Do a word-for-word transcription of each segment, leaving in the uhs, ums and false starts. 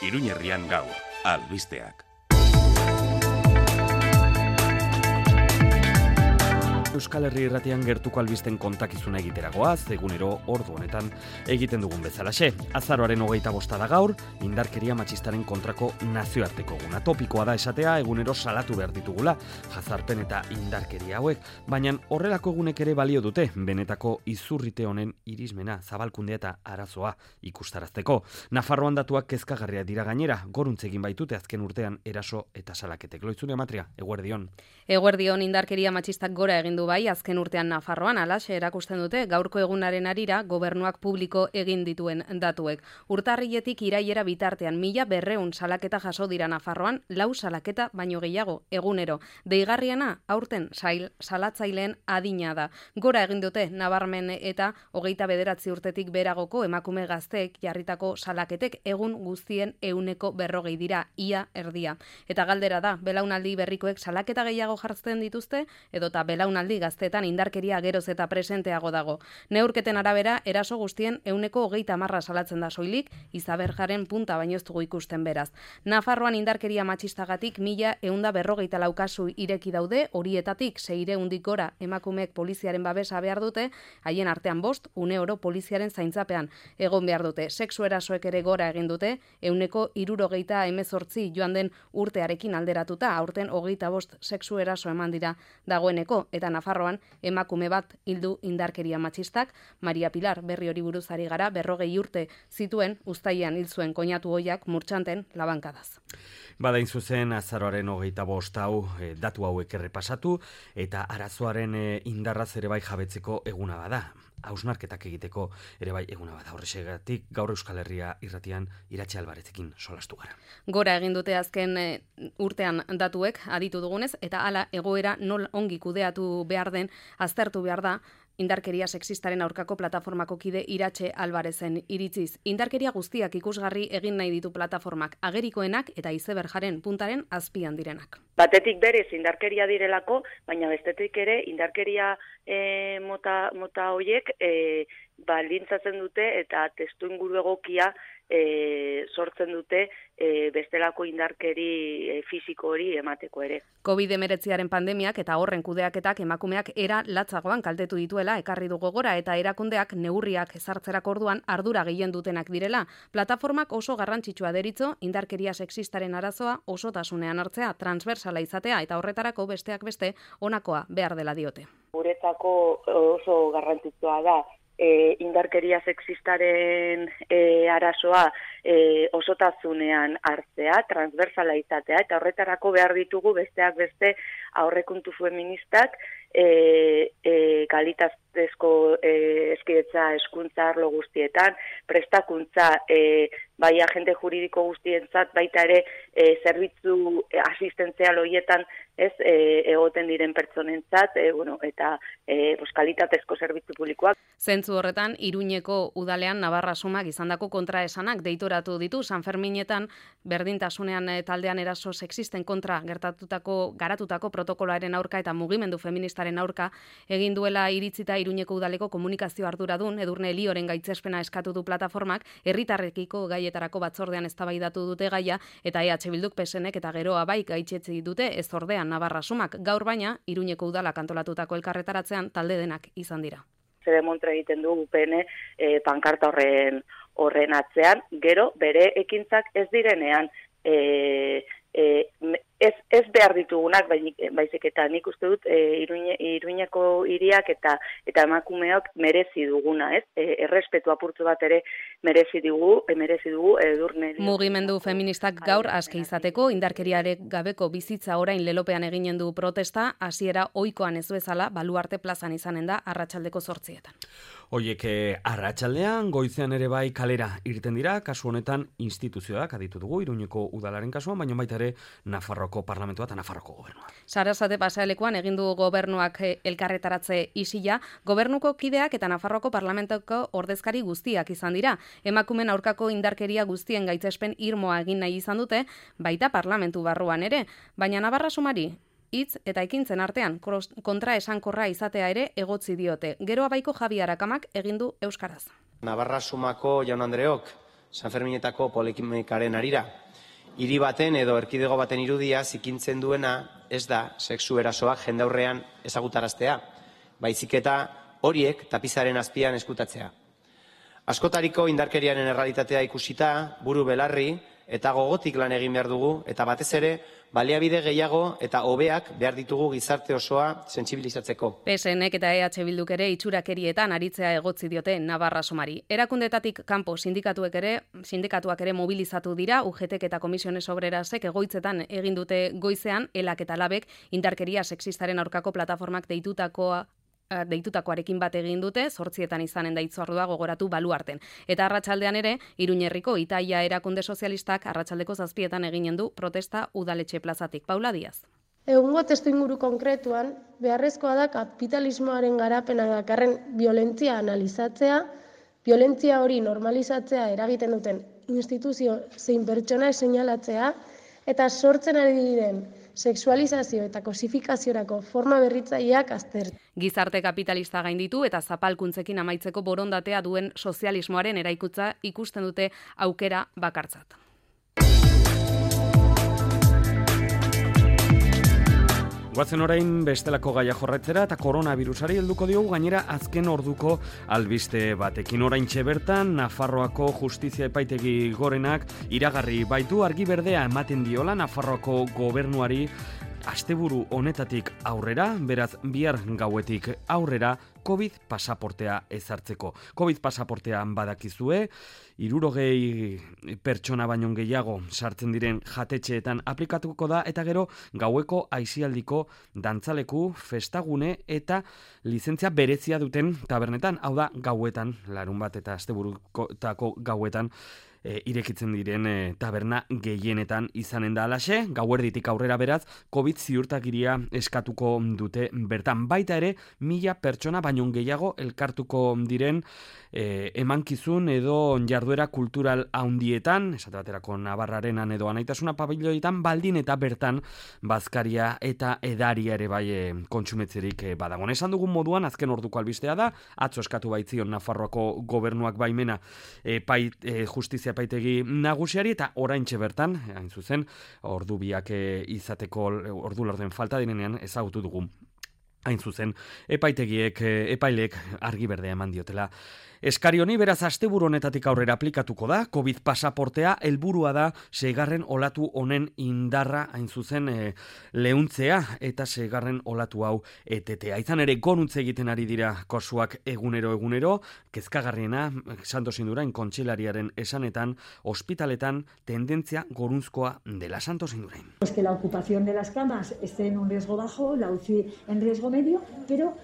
Iruña Herrian gaur, albisteak. Euskal Herri Irratian gertuko albisten kontakizuna egiteragoaz, egunero ordu honetan egiten dugun bezalaxe. Azaroaren hogeita bosta da gaur, indarkeria matxistaren kontrako nazioarteko eguna. Topikoa da esatea, egunero salatu behar ditugula, jazarpen eta indarkeria hauek, baina horrelako egunek ere balio dute, benetako izurrite honen irismena, zabalkundea eta arazoa ikustarazteko. Nafarroan datuak kezkagarria dira gainera, goruntzegin baitute azken urtean eraso eta salaketek. Loitzune Amatria, eguerdion. Eguerdion indarkeria matxistak gora egin du bai, azken urtean Nafarroan alaxe erakusten dute gaurko egunaren arira gobernuak publiko egin dituen datuek. Urtarriletik iraiera bitartean mila berreun salaketa jaso dira Nafarroan, lau salaketa baino gehiago egunero. Deigarriena aurten sail, salatzaileen adina da. Gora egin dute nabarmen eta hogeita bederatzi urtetik beragoko emakume gazteek jarritako salaketek egun guztien euneko berrogei dira, ia erdia. Eta galdera da, belaunaldi berrikoek salaketa gehiago jartzen dituzte, edota belaunaldi gaztetan indarkeria geroz eta presenteago dago. Neurketen arabera, eraso guztien euneko hogeita marra salatzen da soilik, izaberjaren punta baino ez dugu ikusten beraz. Nafarroan indarkeria matxistagatik mila eunda berrogeita laukasu ireki daude, horietatik seireundik gora emakumeek poliziaren babesa behar dute, haien artean bost, une oro poliziaren zaintzapean egon behar dute. Sexu erasoek ere gora egin dute, euneko hirurogeita hemezortzi joan den urtearekin alderatuta, aurten hogeita bost sexu eraso eman dira dagoeneko, eta Nafarroan emakume bat hildu indarkeria matxistak, Maria Pilar berri hori buruz ari gara, berrogei urte zituen uztailean hil zuen koinatu ohiak murtxanten labankadaz. Badain zuzen azaroaren hogeita bost hau e, datu hauek errepasatu eta arazoaren e, indarraz ere bai jabetzeko eguna bada. Hausnarketak egiteko ere bai eguna bada. Horrexegatik gaur Euskal Herria Irratian Iratxe Albarezekin solastu gara. Gora egin dute azken e, urtean datuek aditu dugunez, eta hala egoera nol ongi kudeatu behar den aztertu behar da indarkeria sexistaren aurkako plataformako kide Iratxe Albarezen iritziz. Indarkeria guztiak ikusgarri egin nahi ditu plataformak, agerikoenak eta izeberjaren puntaren azpian direnak. Batetik berez indarkeria direlako, baina bestetik ere indarkeria e, mota, mota hoiek e, baldintzatzen dute eta testuinguru egokia E, sortzen dute e, bestelako indarkeri e, fisiko hori emateko ere. covid hemeretziaren pandemiak eta horren kudeaketak emakumeak era latzagoan kaltetu dituela ekarri du gogora eta erakundeak neurriak ezartzerako orduan ardura gehien dutenak direla. Plataformak oso garrantzitsua deritzo indarkeria sexistaren arazoa osotasunean hartzea, transversala izatea eta horretarako besteak beste honakoa behar dela diote. Guretzako oso garrantzitsua da E, indarkeria sexistaren e, arazoa e, osotasunean hartzea, transversala izatea, eta horretarako behar ditugu besteak beste aurrekontu feministak e, e, kalitatezko e, hezkidetza hezkuntza arlo guztietan, prestakuntza e, bai agente juridiko guztientzat, baita ere e, zerbitzu e, asistentzial horietan ez e, egoten diren pertsonentzat, e, bueno, eta e, pues, kalitatezko zerbitzu publikoak. Zentzu horretan, Iruñeko udalean Navarra Sumak izandako kontraesanak deitoratu ditu San Ferminetan berdintasunean taldean eraso sexisten kontra gertatutako garatutako protokoloaren aurka eta mugimendu feministaren aurka egin duela iritzita Iruñeko udaleko komunikazio arduradun Edurne Elioren gaitzespena eskatu du plataformak, herritarrekiko gaietarako batzordean eztabaidatu dute gaia eta E H Bilduk P S Nek eta geroa bai gaitzetzi dute ez ordean Navarra Sumak. Gaur baina Iruñeko udalak antolatutako elkarretaratzean talde denak izan dira. Demontre egiten du U P N e, pankarta horren horren atzean, gero bere ekintzak ez direnean e, e, ez, ez behar ditugunak, baizik eta nik uste dut e, Iruñe, Iruñeko hiriak eta eta emakumeok merezi duguna, ez? E, errespetu apurtzu bat ere merezi dugu, e, merezi dugu Edurne. Mugimendu feministak gaur aske izateko indarkeriarek gabeko bizitza orain lelopean eginen du protesta, hasiera ohikoan ez bezala Baluarte plazan izanen da arratsaldeko zortzietan. Hoiek arratsaldean goizean ere bai kalera irten dira, kasu honetan instituzioak aditu dugu Iruñeko udalaren kasuan, baina baita ere Nafarroko parlamentua eta Nafarroko gobernua. Sarasate pasealekuan egin du gobernuak elkarretaratze isila, gobernuko kideak eta Nafarroko parlamentuko ordezkari guztiak izan dira. Emakumen aurkako indarkeria guztien gaitzespen irmoa egin nahi izan dute, baita parlamentu barruan ere, baina Navarra Sumari hitz eta ekintzen artean kontra esankorra izatea ere egotzi diote. Gero abaiko Javi Arakamak egin du euskaraz. Navarra Sumako jaun andreok, Sanferminetako polemikaren arira. Hiri baten edo erkidego baten irudia zikintzen duena ez da sexu erasoak jendaurrean ezagutaraztea, baizik eta horiek tapizaren azpian eskutatzea. Askotariko indarkeriaren errealitatea ikusita, buru belarri eta gogotik lan egin behar dugu, eta batez ere, baliabide gehiago eta hobeak behar ditugu gizarte osoa sentsibilizatzeko. P S Nek eta E H Bilduk ere itxurakerietan aritzea egotzi diote Navarra Somari. Erakundetatik kanpo sindikatuek ere, sindikatuak ere mobilizatu dira, U G Tek eta Komisiones Obrerasek egoitzetan egin dute goizean, Elak eta Labek indarkeria sexistaren aurkako plataformak deitutakoa deitutakoarekin bat egin dute, zortzietan izanen da hitzordua gogoratu baluarten. Eta arratsaldean ere, Iruñerriko Itaia erakunde sozialistak arratsaldeko zazpietan eginen du protesta udaletxe plazatik. Paula Diaz. Egungo testuinguru konkretuan, beharrezkoa da kapitalismoaren garapena dakarren violentzia analizatzea, violentzia hori normalizatzea eragiten duten instituzio zein pertsona seinalatzea, eta sortzen ari diren sexualizazio eta kosifikaziorako forma berritzaileak aztertu. Gizarte kapitalista gainditu eta zapalkuntzekin amaitzeko borondatea duen sozialismoaren eraikutza ikusten dute aukera bakartzat. Guazen orain bestelako gaia jorratzera eta koronavirusari helduko diogu gainera azken orduko albiste batekin. Oraintxe bertan Nafarroako Justizia Epaitegi Gorenak iragarri baitu argi berdea ematen diola Nafarroako gobernuari asteburu honetatik aurrera, beraz bihar gauetik aurrera COVID pasaportea ezartzeko. COVID pasaportean badakizue, hirurogei pertsona baino gehiago sartzen diren jatetxeetan aplikatuko da eta gero gaueko aisialdiko dantzaleku, festagune eta lizentzia berezia duten tabernetan, hau da gauetan, larun bat eta asteburutako gauetan, E, irekitzen diren e, taberna gehienetan izanen da alaxe, gauerditik aurrera beraz, COVID ziurtagiria eskatuko dute bertan. Baita ere, mila pertsona baino gehiago elkartuko diren e, emankizun edo jarduera kultural handietan, esate baterako Navarrarenan edo Anaitasuna pabiloietan, baldin eta bertan bazkaria eta edaria ere bai e, kontsumetzerik e, badagon. Esan dugun moduan, azken orduko albistea da, atzo eskatu baitzion Nafarroako gobernuak baimena e, pait, e, justizia epaitegi nagusiari eta oraintxe bertan, hain zuzen, ordu biak izateko ordu lorden falta direnean ezagutu dugu. Hain zuzen, epaitegiek, epailek argi berdea eman diotela. Eskari honi beraz asteburu honetatik aurrera aplikatuko da, COVID pasaportea helburua da seigarren olatu honen indarra hain zuzen e, leuntzea eta seigarren olatu hau etetea. Izan ere goruntze egiten ari dira kasuak egunero egunero, kezkagarriena Santos Indurain kontseilariaren esanetan, ospitaletan tendentzia gorunzkoa dela. Santos Indurain. Pues que la ocupación de las camas esté en un riesgo bajo, la U C I en riesgo medio, pero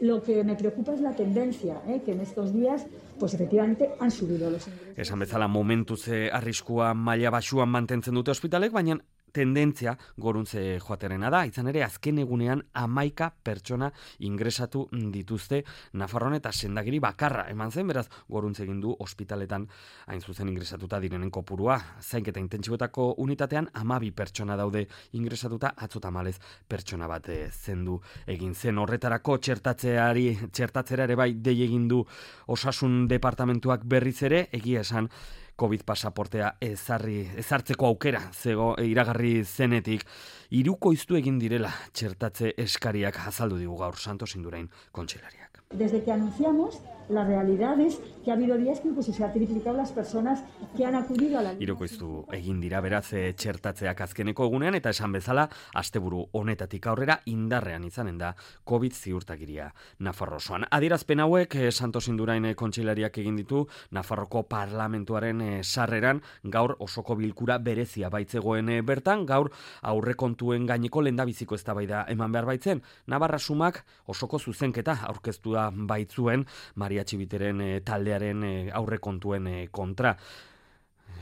lo que me preocupa es la tendencia, ¿eh? que en estos días, pues efectivamente han subido los ingresos. Esan bezala momentuz arriskua maila baxuan mantentzen dute ospitalek, baina tendentzia goruntze joaterena da, izan ere azken egunean hamaika pertsona ingresatu dituzte Nafarroan eta sendagiri bakarra eman zen, beraz goruntze egin du ospitaletan hain zuzen ingresatuta direnen kopurua. Zainketa intentsiboetako unitatean hamabi pertsona daude ingresatuta, atzo tamalez pertsona bat zendu egin zen. Horretarako txertatzeari, txertatzera ere bai dei egin du Osasun Departamentuak berriz ere, egia esan COVID pasaportea ezarri, ezartzeko aukera zego iragarri zenetik, hirukoiztu egin direla txertatze eskariak azaldu digu gaur Santos Indurain kontseilariak. Desde que anunciamos, la realidad es que ha habido días que incluso se ha triplicado las personas que han acudido a la... Hirukoiztu egin dira beraz e, txertatzeak azkeneko egunean eta esan bezala asteburu honetatik aurrera indarrean izanen da COVID ziurtagiria Nafarro osoan. Adierazpen hauek e, Santos Indurain kontseilariak egin ditu Nafarroko parlamentuaren e, sarreran gaur osoko bilkura berezia baitzegoen e, bertan, gaur aurrekontuen gaineko lehendabiziko eztabaida eman behar baitzen. Navarra Sumak osoko zuzenketa aurkeztu da baitzuen Maria Txibiteren e, taldearen e, aurrekontuen e, kontra.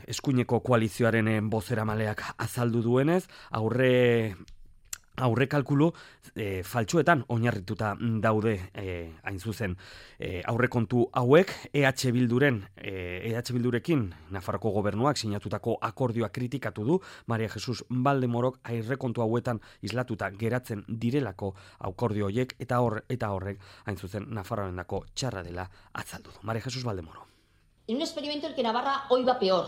Eskuineko koalizioaren e, bozeramaleak azaldu duenez, aurre aurrekalkulu e, faltsuetan oinarrituta daude e, hain zuzen e, aurrekontu hauek E H Bilduren e, E H Bildurekin Nafarroko gobernuak sinatutako akordioa kritikatu du Maria Jesus Valdemorok aurrekontu hauetan islatuta geratzen direlako akordio horiek eta hor eta horrek hain zuzen Nafarroarendako txarra dela azaldu du. Maria Jesus Valdemoro. En un experimento en el que Navarra hoy va peor.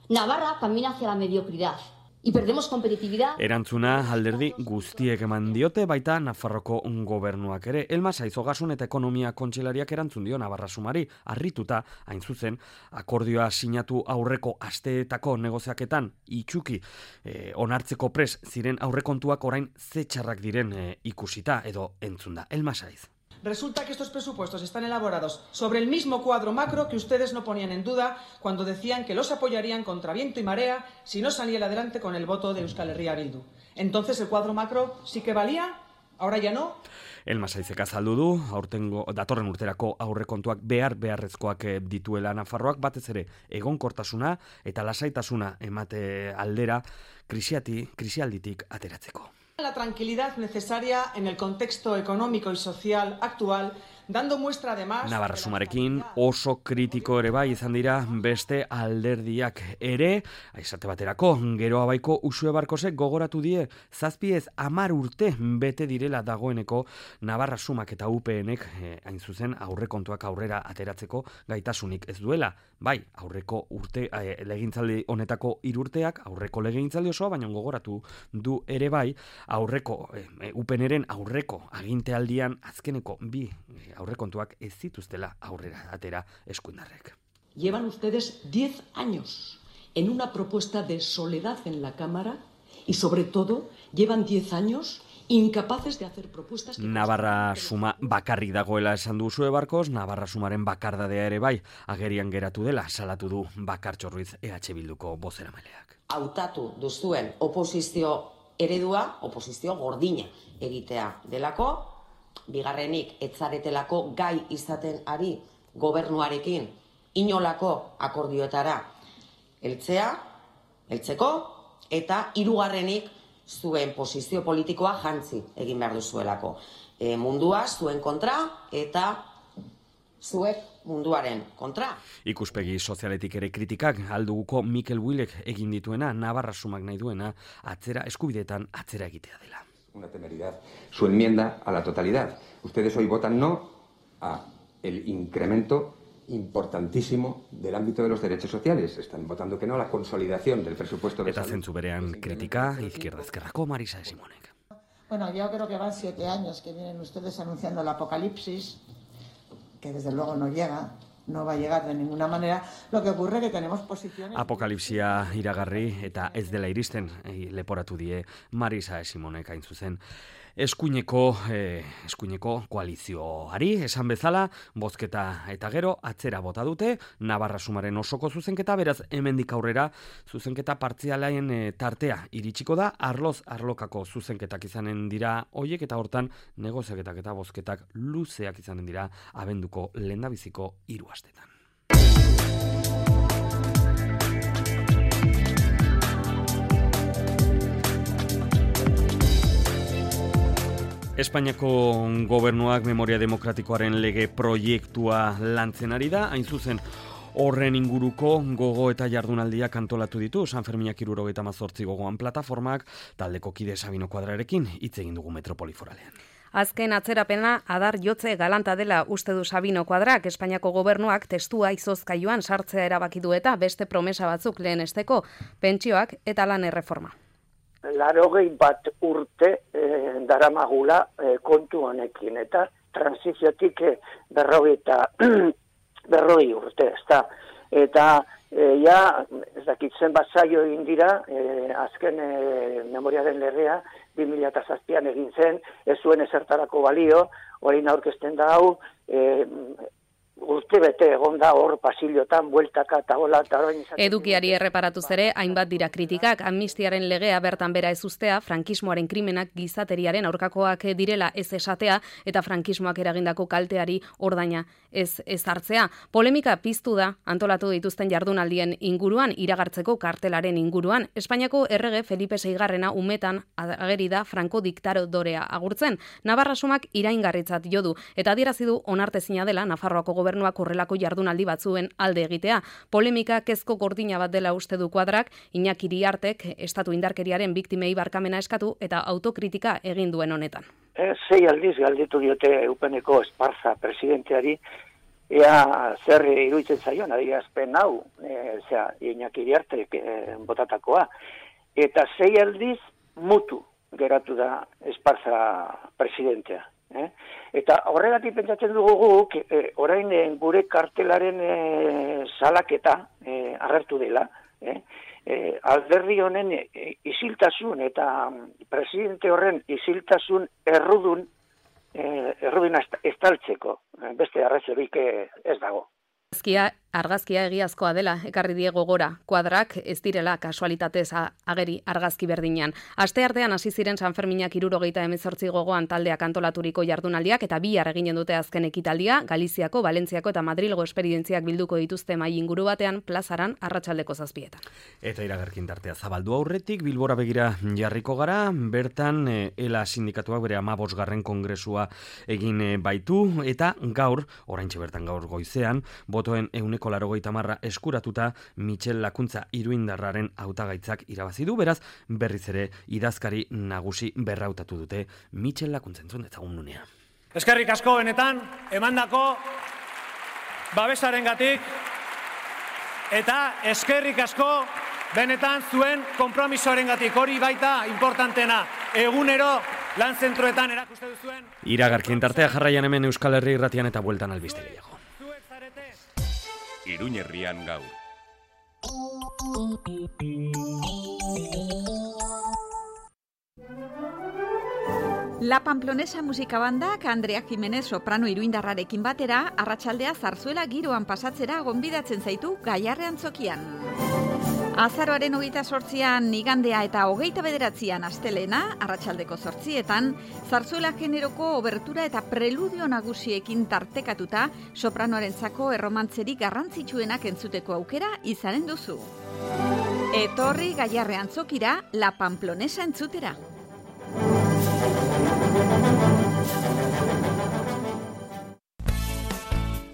Navarra camina hacia la mediocridad. Y perdemos competitividad. Erantzuna alderdi guztiek eman diote, baita Nafarroko gobernuak ere. Elma Saiz Ogasun eta Ekonomia Kontseilariak erantzun dio Navarra Sumari, harrituta, hain zuzen, akordioa sinatu aurreko asteetako negoziaketan itxuki eh, onartzeko pres ziren aurrekontuak orain ze txarrak diren eh, ikusita edo entzunda. Elma Saiz. Resulta que estos presupuestos están elaborados sobre el mismo cuadro macro que ustedes no ponían en duda cuando decían que los apoyarían contra viento y marea si no saliera adelante con el voto de Euskal Herria Bildu. Entonces el cuadro macro sí que valía, ahora ya no. Elma Saizek azaldu du, aurtengo, datorren urterako aurrekontuak behar beharrezkoak dituela Nafarroak, batez ere egonkortasuna eta lasaitasuna emate aldera krisiati, krisialditik ateratzeko. La tranquilidad necesaria en el contexto económico y social actual, dando muestra además... Navarra Sumarekin oso kritiko ere bai izan dira beste alderdiak ere, aizate baterako, gero abaiko Uxue Barkosek gogoratu die, zazpiez amar urte bete direla dagoeneko Navarra Sumak eta U P Nek, eh, hain zuzen aurrekontuak aurrera ateratzeko gaitasunik ez duela. Bai, aurreko urte, eh, legintzaldi honetako hirurteak, aurreko legintzaldi osoa, baina gogoratu du ere bai, aurreko, eh, U P Nren aurreko agintealdian azkeneko bi eh, aurrekontuak ez zituztela aurrera atera eskuindarrek. Llevan ustedes diez años en una propuesta de soledad en la Cámara y sobre todo llevan diez años incapaces de hacer propuestas... Que Navarra Suma bakarrik dagoela esan du Uxue Barkos, Navarra Sumaren bakardadea ere bai agerian geratu dela salatu du Bakartxo Ruiz E H Bilduko bozeramaileak. Hautatu duzuen oposizio eredua, oposizio gordina egitea delako, bigarrenik etzaretelako gai izaten ari gobernuarekin inolako akordioetara heltzea, heltzeko, eta hirugarrenik zuen posizio politikoa jantzi egin behar duzuelako. E, mundua zuen kontra eta zuek munduaren kontra. Ikuspegi sozialetik ere kritikak alduguko Mikel Builek egin dituena, Navarra Sumak nahi duena, atzera eskubideetan atzera egitea dela. Una temeridad. Su enmienda a la totalidad. Ustedes hoy votan no a el incremento importantísimo del ámbito de los derechos sociales. Están votando que no a la consolidación del presupuesto de Eta salud. zentzu berean kritika, Izquierda Ezkerrako Marisa Simonek. Bueno, yo creo que van siete años que vienen ustedes anunciando el apocalipsis, que desde luego no llega, no va a llegar de ninguna manera. Lo que ocurre que tenemos posiciones... Apokalipsia iragarri eta ez dela iristen, eh, leporatu die Marisa Simonek hain zuzen. Eskuineko, eh, eskuineko koalizioari, esan bezala, bozketa eta gero, atzera bota dute, Navarra Sumaren osoko zuzenketa, beraz, hemendik aurrera, zuzenketa partzialaien eh, tartea iritsiko da, arloz arlokako zuzenketak izanen dira hoiek, eta hortan, negoziaketak eta bozketak luzeak izanen dira, abenduko lehendabiziko hiru astetan. Espainiako gobernuak memoria demokratikoaren lege proiektua lantzen ari da, hain zuzen horren inguruko gogo eta jardunaldiak antolatu ditu San Ferminak hirurogeita hamazortzi gogoan plataformak, taldeko kide Sabino Kuadrarekin hitz egin dugu Metropoli Foralean. Azken atzerapena adar jotze galanta dela uste du Sabino Kuadrak, Espainiako gobernuak testua izozkailuan sartzea erabaki du eta beste promesa batzuk lehenesteko, pentsioak eta lan erreforma. Larogei bat urte eh, daramagula eh, kontu honekin, eta transiziotik eh, berrogei eta berrogei urte, ezta. Eta eh, ja, ez dakit zenbat saio egin dira, eh, azken eh, memoriaren legea, bi mila zazpian egin zen, ez zuen ezertarako balio, orain aurkezten da hau, eh, urte bete egon da hor pasillotan, bueltaka eta hola, eta orain izaten... Edukiari erreparatuz ere, hainbat dira kritikak, amnistiaren legea bertan bera ez uztea, frankismoaren krimenak gizateriaren aurkakoak direla ez esatea, eta frankismoak eragindako kalteari ordaina ez ezartzea. Polemika piztu da, antolatu dituzten jardunaldien inguruan, iragartzeko kartelaren inguruan. Espainiako errege Felipe seigarrena umetan ageri da Franco diktadorea agurtzen. Navarra Sumak iraingarritzat jo du, eta adierazi du onartezina dela Nafarroako gobernuak horrelako jardunaldi batzuen alde egitea. Polemika kezko gordina bat dela uste du Kuadrak, Iñaki Iriartek estatu indarkeriaren biktimei barkamena eskatu eta autokritika egin duen honetan. E, sei aldiz galditu diote Eupeneko Esparza presidenteari, ea zer iruditzen zaion, adierazpen hau, e, zera, Iñaki Iriartek e, botatakoa. Eta sei aldiz mutu geratu da Esparza presidentea. Eh? Eta horregatik pentsatzen dugu guk, e, orain e, gure kartelaren e, salaketa e, agertu dela, eh? E, alderdi honen e, isiltasun eta presidente horren isiltasun errudun, e, errudun estaltzeko, beste arrazorik ez dago. Argazkia, argazkia egiazkoa dela, ekarri diego gora, kuadrak ez direla kasualitatez ageri argazki berdinean. Aste artean hasi ziren San Ferminak hirurogeita hemezortzi gogoan taldeak antolaturiko jardunaldiak eta bihar eginen dute azken ekitaldia, Galiziako, Valentziako eta Madrilgo esperientziak bilduko dituzte mahai inguru batean plazaran arratsaldeko zazpietan. Eta iragarkin tartea zabaldu aurretik, Bilbora begira jarriko gara, bertan e, ELA sindikatuak bere hamabosgarren kongresua egin e, baitu, eta gaur, oraintxe bertan gaur goizean, botoen ehuneko laurogeita hamar eskuratuta Michel Lakuntza Iruindarraren hautagaitzak irabazi du, beraz berriz ere idazkari nagusi berrautatu dute Michel Lakuntza, entzun ezagun nunea. Eskerrik asko benetan emandako babesarengatik eta eskerrik asko benetan zuen konpromisoarengatik, hori baita importantena. Egunero lan zentroetan erakuste duzuen. Iragarkien tartea jarraian hemen Euskal Herri Irratian eta bueltan albiste gehiago. Iruñerrian gaur. La Pamplonesa musika bandak Andrea Jimenez soprano iruindarrarekin batera arratsaldea zarzuela giroan pasatzera gonbidatzen zaitu Gaiarre Antzokian. Azaroaren hogeita zortzian igandea eta hogeita bederatzian astelena, arratsaldeko zortzietan, zarzuela generoko obertura eta preludio nagusiekin tartekatuta sopranoarentzako erromantzerik garrantzitsuenak entzuteko aukera izanen duzu. Etorri Gaiarre Antzokira, La Pamplonesa entzutera.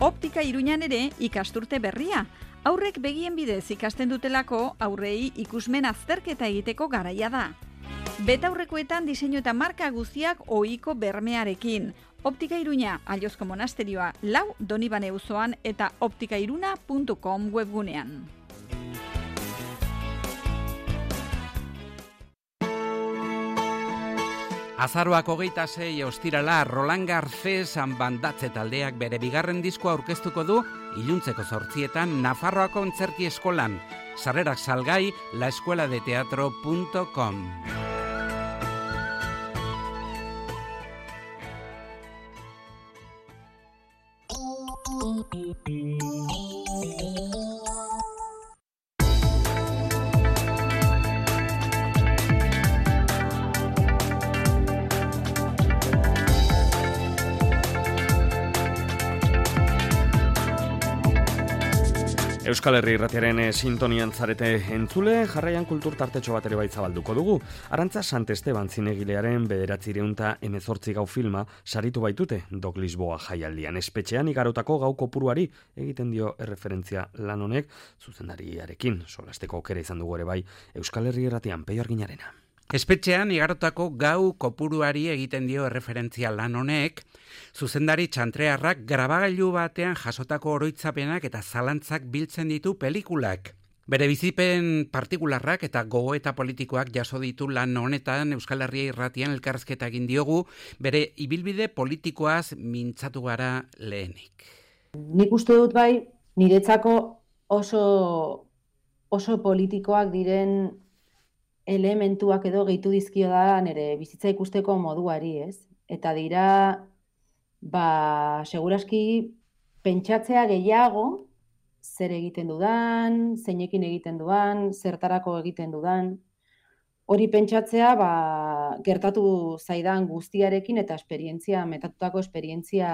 Optika Iruñan ere ikasturte berria. Aurrek begien bidez ikasten dutelako aurrei ikusmen azterketa egiteko garaia da. Betaurrekoetan diseinu eta marka guztiak ohiko bermearekin. Optika Iruña, Allozko monasterioa, lau Donibane auzoan eta optikairuna puntu com webgunean. Azaroak hogeita sei ostirala Roland Garces bandatze taldeak bere bigarren diskoa aurkeztuko du iluntzeko zortzietan Nafarroako Antzerki Eskolan. Sarrerak salgai la escuela de teatro punto com. Euskal Herri Irratiaren sintonian zarete entzule, jarraian kultur tartetxo bat ere bai zabalduko dugu. Arantza Sant Esteban zinegilearen bederatziehun eta hemezortzi gau filma saritu baitute Dok Lisboa jaialdian. Espetxean igarotako gau kopuruari egiten dio erreferentzia lan honek zuzendariarekin. Solasteko aukera izan dugu ere bai Euskal Herri Irratian Peio Arginarena. Espetxean igarotako gau kopuruari egiten dio erreferentzia lan honek, zuzendari txantrearrak grabagailu batean jasotako oroitzapenak eta zalantzak biltzen ditu pelikulak. Bere bizipen partikularrak eta gogoeta politikoak jaso ditu lan honetan Euskal Herria Irratian elkarrizketa egin diogu, bere ibilbide politikoaz mintzatu gara lehenik. Nik uste dut bai, niretzako oso, oso politikoak diren elementuak edo gehitu dizkio da nire bizitza ikusteko moduari, ez? Eta dira, ba, seguraski pentsatzea gehiago, zer egiten dudan, zeinekin egiten dudan, zertarako egiten dudan. Hori pentsatzea, ba, gertatu zaidan guztiarekin eta esperientzia, metatutako esperientzia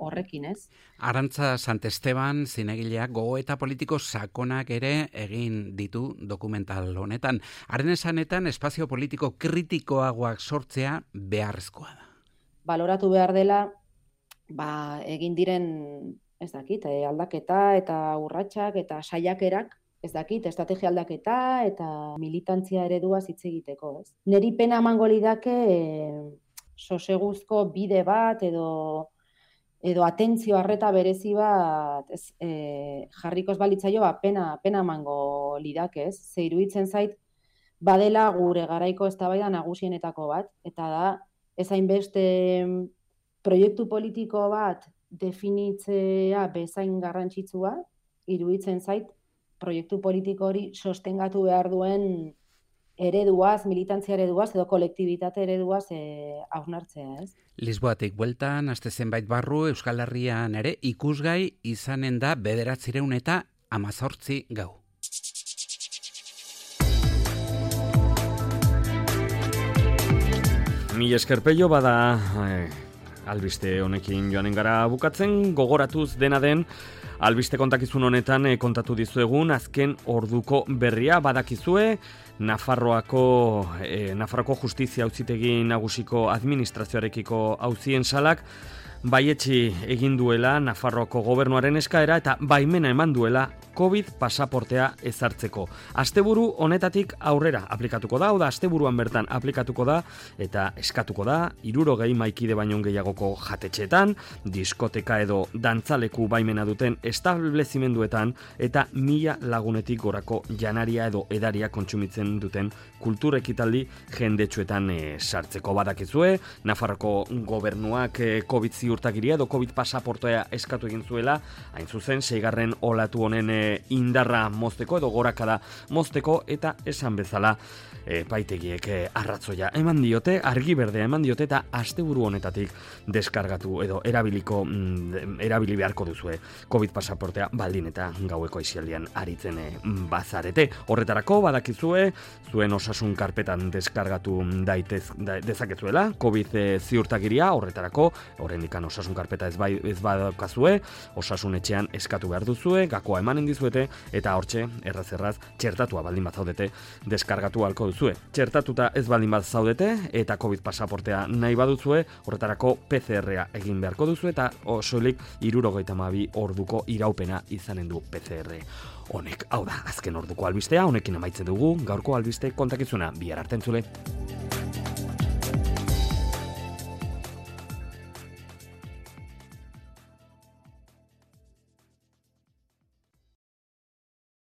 horrekin, ez? Arantza Sant Esteban zinegileak gogoeta politiko sakonak ere egin ditu dokumental honetan. Haren esanetan espazio politiko kritikoagoak sortzea beharrezkoa da. Baloratu behar dela, ba, egin diren, ez dakit, aldaketa eta urratsak eta saiakerak, ez dakit, estrategia aldaketa eta militantzia eredua hitz egiteko, ez? Neri pena emango lidake e, soseguzko bide bat edo edo atentzio arreta berezi bat ez, e, jarrikoz balitzaio, ba, pena, pena mango lidak, ez? Ze iruditzen zait, badela gure garaiko eztabaida nagusienetako bat, eta da, ez hainbeste proiektu politiko bat definitzea bezain garrantzitsua, iruditzen zait, proiektu politiko hori sostengatu behar duen ereduaz, militantzia ereduaz, edo kolektibitate ereduaz e, hausnartzea, ez? Lisboatik bueltan, aste zenbait barru, Euskal Herrian ere ikusgai izanen da bederatzireun eta amazortzi gau. Mil esker Pello, bada eh, albiste honekin joanen gara bukatzen, gogoratuz dena den, albiste kontakizun honetan eh, kontatu dizuegun azken orduko berria badakizue, Nafarroako, eh, Nafarroako Justizia Auzitegi Nagusiko Administrazioarekiko auzien salak baietsi egin duela Nafarroako gobernuaren eskaera eta baimena eman duela COVID pasaportea ezartzeko. Asteburu honetatik aurrera aplikatuko da, oda asteburuan bertan aplikatuko da eta eskatuko da hirurogei maikide baino gehiagoko jatetxeetan, diskoteka edo dantzaleku baimena duten establezimenduetan eta mila lagunetik gorako janaria edo edaria kontsumitzen duten kultur ekitaldi jendetsuetan e, sartzeko. Badakizue, Nafarroko gobernuak e, COVID ziurtagiria edo COVID pasaportea eskatu egin zuela, hain zuzen, seigarren olatu honen e, indarra mozteko edo gorakada mozteko eta esan bezala e, paitegiek e, arratzoia eman diote, argi berdea eman diote eta asteburu honetatik deskargatu edo erabiliko mm, erabili beharko duzue COVID pasaportea baldin eta gaueko aisialdian aritzen e, bazarete. Horretarako badakizue zuen osasun karpetan deskargatu daitez da, dezakezuela COVID e, ziurtagiria, horretarako horrendikan osasun karpeta ez, bai, ez badakazue, osasun etxean eskatu behar duzue, gakoa emanen dizuete eta hortxe erraz erraz txertatua baldin bat zaudete deskargatu halko duzue. Txertatuta ez baldin bat zaudete eta COVID pasaportea nahi baduzue, horretarako P C R-a egin beharko duzu eta osolik hirurogeita hamabi orduko iraupena izanen du P C R honek. Hau da, azken orduko albistea, honekin amaitzen dugu gaurko albiste kontakizuna. Bihar arte entzule.